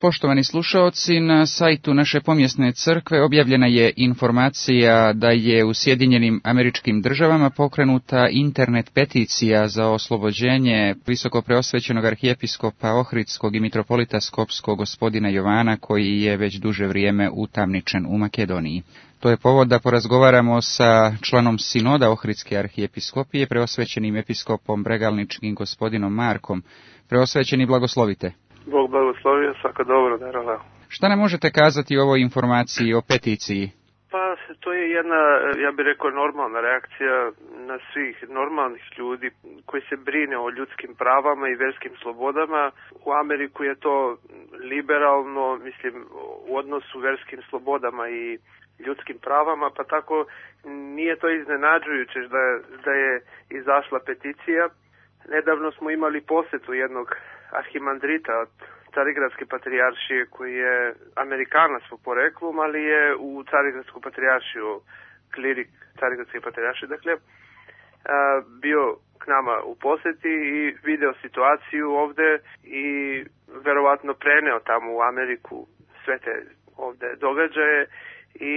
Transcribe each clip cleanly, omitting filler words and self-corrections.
Poštovani slušaoci, na sajtu naše pomjesne crkve objavljena je informacija da je u Sjedinjenim Američkim Državama pokrenuta internet peticija za oslobođenje visoko preosvećenog arhijepiskopa Ohridskog i mitropolita Skopskog gospodina Jovana, koji je već duže vrijeme utamničen u Makedoniji. To je povod da porazgovaramo sa članom sinoda Ohridske arhijepiskopije, preosvećenim episkopom bregalničkim gospodinom Markom. Preosvećeni, blagoslovite. Bog blagoslovio, svako dobro, naravno. Šta nam možete kazati o ovoj informaciji, o peticiji? Pa, to je jedna, ja bih rekao, normalna reakcija na svih normalnih ljudi koji se brine o ljudskim pravama i vjerskim slobodama. U Ameriku je to liberalno, mislim, u odnosu vjerskim slobodama i ljudskim pravama, pa tako nije to iznenađujuće da je izašla peticija. Nedavno smo imali posjetu jednog arhimandrita od Carigradske patrijaršije koji je Amerikanac po poreklom, ali je u Carigradsku patrijaršiju, klirik Carigradske patrijaršije, dakle, bio k nama u posjeti i video situaciju ovdje i verovatno preneo tamo u Ameriku sve te ovdje događaje i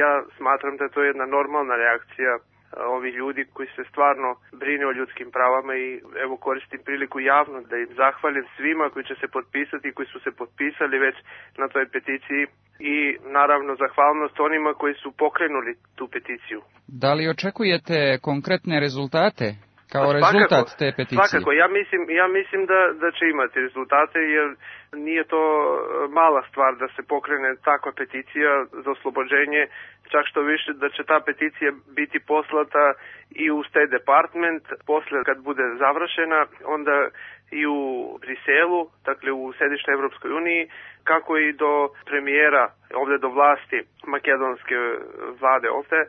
ja smatram da to je jedna normalna reakcija ovi ljudi koji se stvarno brine o ljudskim pravama i evo koristim priliku javno da im zahvalim svima koji će se potpisati i koji su se potpisali već na toj peticiji i naravno zahvalnost onima koji su pokrenuli tu peticiju. Da li očekujete konkretne rezultate kao rezultat te peticije? Svakako, ja mislim da će imati rezultate jer nije to mala stvar da se pokrene takva peticija za oslobođenje, čak što više da će ta peticija biti poslata i u State Department, posle kad bude završena, onda i u Briselu, dakle u središnjoj Evropskoj uniji, kako i do premijera, ovdje do vlasti makedonske vlade ovdje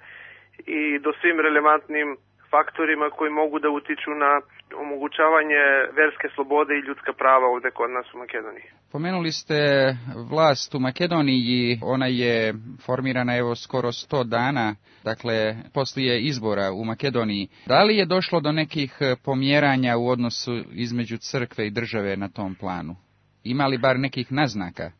i do svim relevantnim faktorima koji mogu da utiču na omogućavanje verske slobode i ljudska prava ovdje kod nas u Makedoniji. Pomenuli ste vlast u Makedoniji, ona je formirana evo skoro 100 dana, dakle poslije izbora u Makedoniji. Da li je došlo do nekih pomjeranja u odnosu između crkve i države na tom planu? Ima li bar nekih naznaka?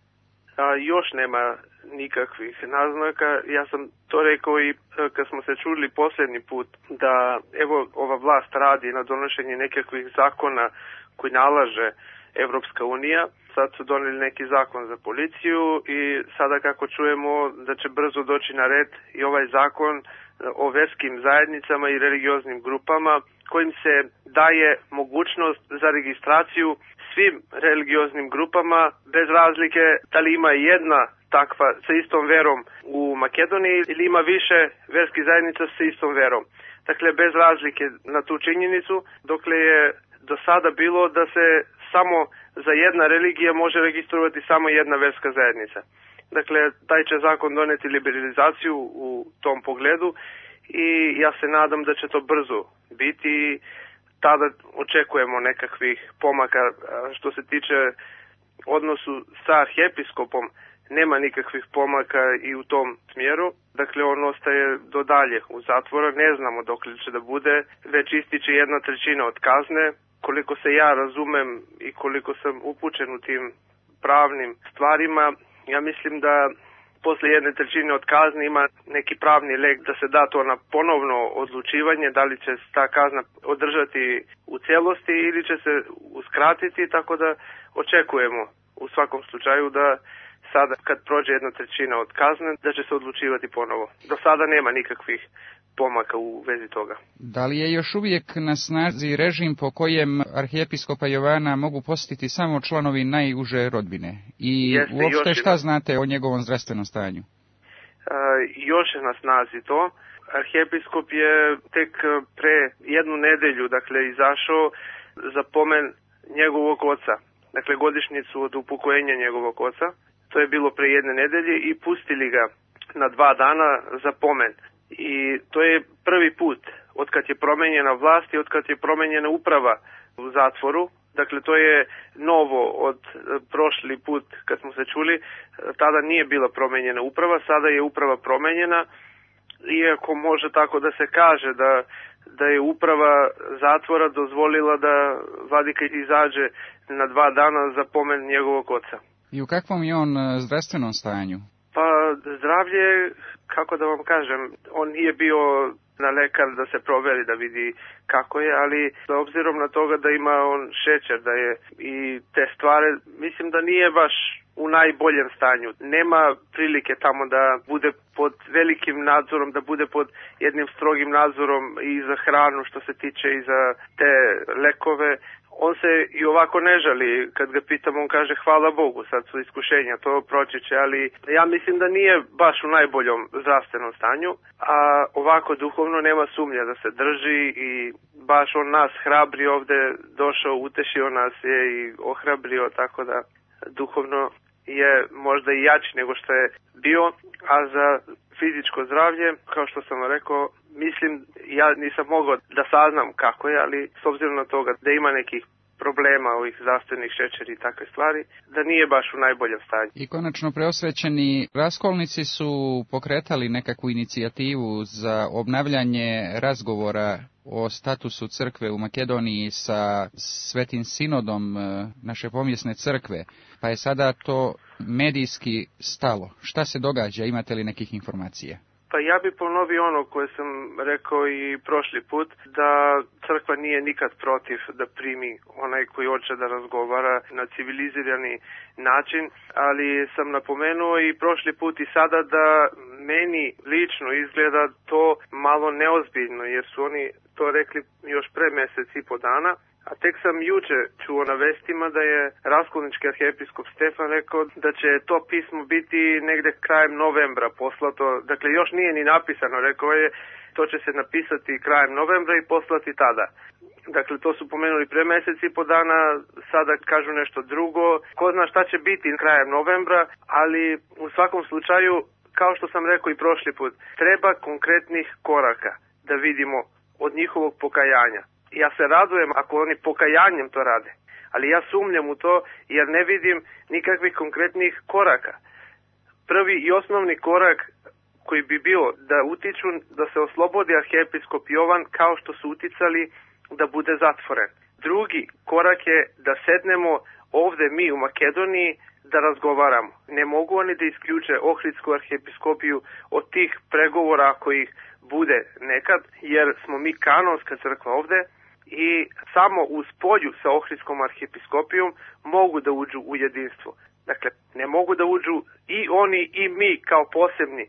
Još nema nikakvih naznaka. Ja sam to rekao i kad smo se čuli posljednji put da evo ova vlast radi na donošenju nekakvih zakona koji nalaže Evropska unija. Sad su donijeli neki zakon za policiju i sada kako čujemo da će brzo doći na red i ovaj zakon o verskim zajednicama i religioznim grupama kojim se daje mogućnost za registraciju svim religioznim grupama bez razlike da li ima jedna takva sa istom verom u Makedoniji ili ima više verskih zajednica sa istom verom. Dakle, bez razlike na tu činjenicu, dokle je do sada bilo da se samo za jedna religija može registrovati samo jedna verska zajednica. Dakle, taj će zakon doneti liberalizaciju u tom pogledu i ja se nadam da će to brzo biti. Tada očekujemo nekakvih pomaka. Što se tiče odnosu sa arhijepiskopom, nema nikakvih pomaka i u tom smjeru. Dakle, on ostaje do dalje u zatvoru. Ne znamo dok li će da bude. Već ističe 1/3 od kazne. Koliko se ja razumem i koliko sam upućen u tim pravnim stvarima, ja mislim da posle 1/3 od kazne ima neki pravni lek da se da to na ponovno odlučivanje, da li će ta kazna održati u cijelosti ili će se uskratiti, tako da očekujemo u svakom slučaju da sada kad prođe 1/3 od kazne da će se odlučivati ponovo. Do sada nema nikakvih pomaka u vezi toga. Da li je još uvijek na snazi režim po kojem arhijepiskopa Jovana mogu posjetiti samo članovi najuže rodbine? I uopšte šta znate o njegovom zdravstvenom stanju? Još je na snazi to. Arhijepiskop je tek pre 1 nedelju, dakle, izašao za pomen njegovog oca. Dakle, godišnjicu od upokojenja njegovog oca. To je bilo pre 1 nedelje i pustili ga na 2 dana za pomen. I to je prvi put od kad je promenjena vlast i od kad je promenjena uprava u zatvoru. Dakle, to je novo od prošli put kad smo se čuli. Tada nije bila promenjena uprava, sada je uprava promenjena. Iako može tako da se kaže da je uprava zatvora dozvolila da vladika izađe na 2 dana za pomen njegovog oca. I u kakvom je on zdravstvenom stanju? Pa zdravlje, kako da vam kažem, on nije bio na lekar da se proveri, da vidi kako je, ali s obzirom na toga da ima on šećer, da je i te stvari, mislim da nije baš u najboljem stanju. Nema prilike tamo da bude pod velikim nadzorom, da bude pod jednim strogim nadzorom i za hranu što se tiče i za te lekove. On se i ovako ne žali, kad ga pitam on kaže hvala Bogu, sad su iskušenja, to proći će, ali ja mislim da nije baš u najboljom zdravstvenom stanju, a ovako duhovno nema sumnja da se drži i baš on nas hrabri ovde, došao, utešio nas je i ohrabrio, tako da duhovno je možda i jači nego što je bio, a za fizičko zdravlje, kao što sam rekao, mislim, ja nisam mogao da saznam kako je, ali s obzirom na toga da ima nekih problema ovih zdravstvenih šećeri i takve stvari, da nije baš u najboljem stanju. I konačno preosvećeni raskolnici su pokretali nekakvu inicijativu za obnavljanje razgovora o statusu crkve u Makedoniji sa Svetim sinodom naše pomjesne crkve, pa je sada to medijski stalo. Šta se događa, imate li nekih informacija? Pa ja bi ponovio ono koje sam rekao i prošli put, da crkva nije nikad protiv da primi onaj koji hoće da razgovara na civilizirani način, ali sam napomenuo i prošli put i sada da meni lično izgleda to malo neozbiljno, jer su oni to rekli još pre mjesec i po dana. A tek sam juče čuo na vestima da je raskolnički arhijepiskop Stefan rekao da će to pismo biti negde krajem novembra poslato. Dakle, još nije ni napisano, rekao je, to će se napisati krajem novembra i poslati tada. Dakle, to su pomenuli pre mjesec i po dana, sada kažu nešto drugo. Ko zna šta će biti krajem novembra, ali u svakom slučaju, kao što sam rekao i prošli put, treba konkretnih koraka da vidimo od njihovog pokajanja. Ja se radujem ako oni pokajanjem to rade, ali ja sumnjam u to jer ne vidim nikakvih konkretnih koraka. Prvi i osnovni korak koji bi bio da utiču da se oslobodi arhijepiskop Jovan kao što su uticali da bude zatvoren. Drugi korak je da sednemo ovde mi u Makedoniji da razgovaramo. Ne mogu oni da isključe Ohridsku arhijepiskopiju od tih pregovora ako ih bude nekad, jer smo mi kanonska crkva ovde i samo u spolju sa Ohridskom arhijepiskopijom mogu da uđu u jedinstvo. Dakle, ne mogu da uđu i oni i mi kao posebni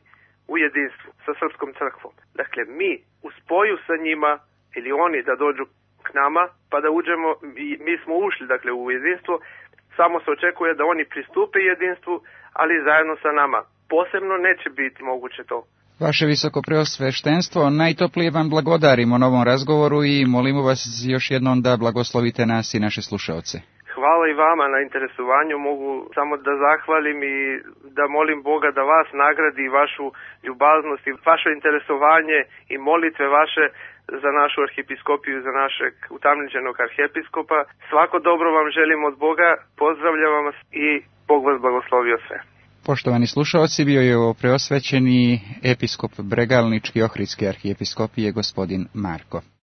u jedinstvu sa srpskom crkvom. Dakle, mi u spoju sa njima ili oni da dođu k nama pa da uđemo, mi smo ušli dakle u jedinstvo, samo se očekuje da oni pristupe jedinstvu, ali zajedno sa nama. Posebno neće biti moguće to. Vaše visokopreosveštenstvo, najtoplije vam blagodarimo na ovom razgovoru i molimo vas još jednom da blagoslovite nas i naše slušaoce. Hvala i vama na interesovanju, mogu samo da zahvalim i da molim Boga da vas nagradi vašu ljubaznost i vaše interesovanje i molitve vaše za našu arhijepiskopiju, za našeg utamničenog arhijepiskopa. Svako dobro vam želim od Boga, pozdravljam vas i Bog vas blagoslovio sve. Poštovani slušaoci, bio je ovo preosvećeni episkop Bregalnički Ohridske arhijepiskopije gospodin Marko.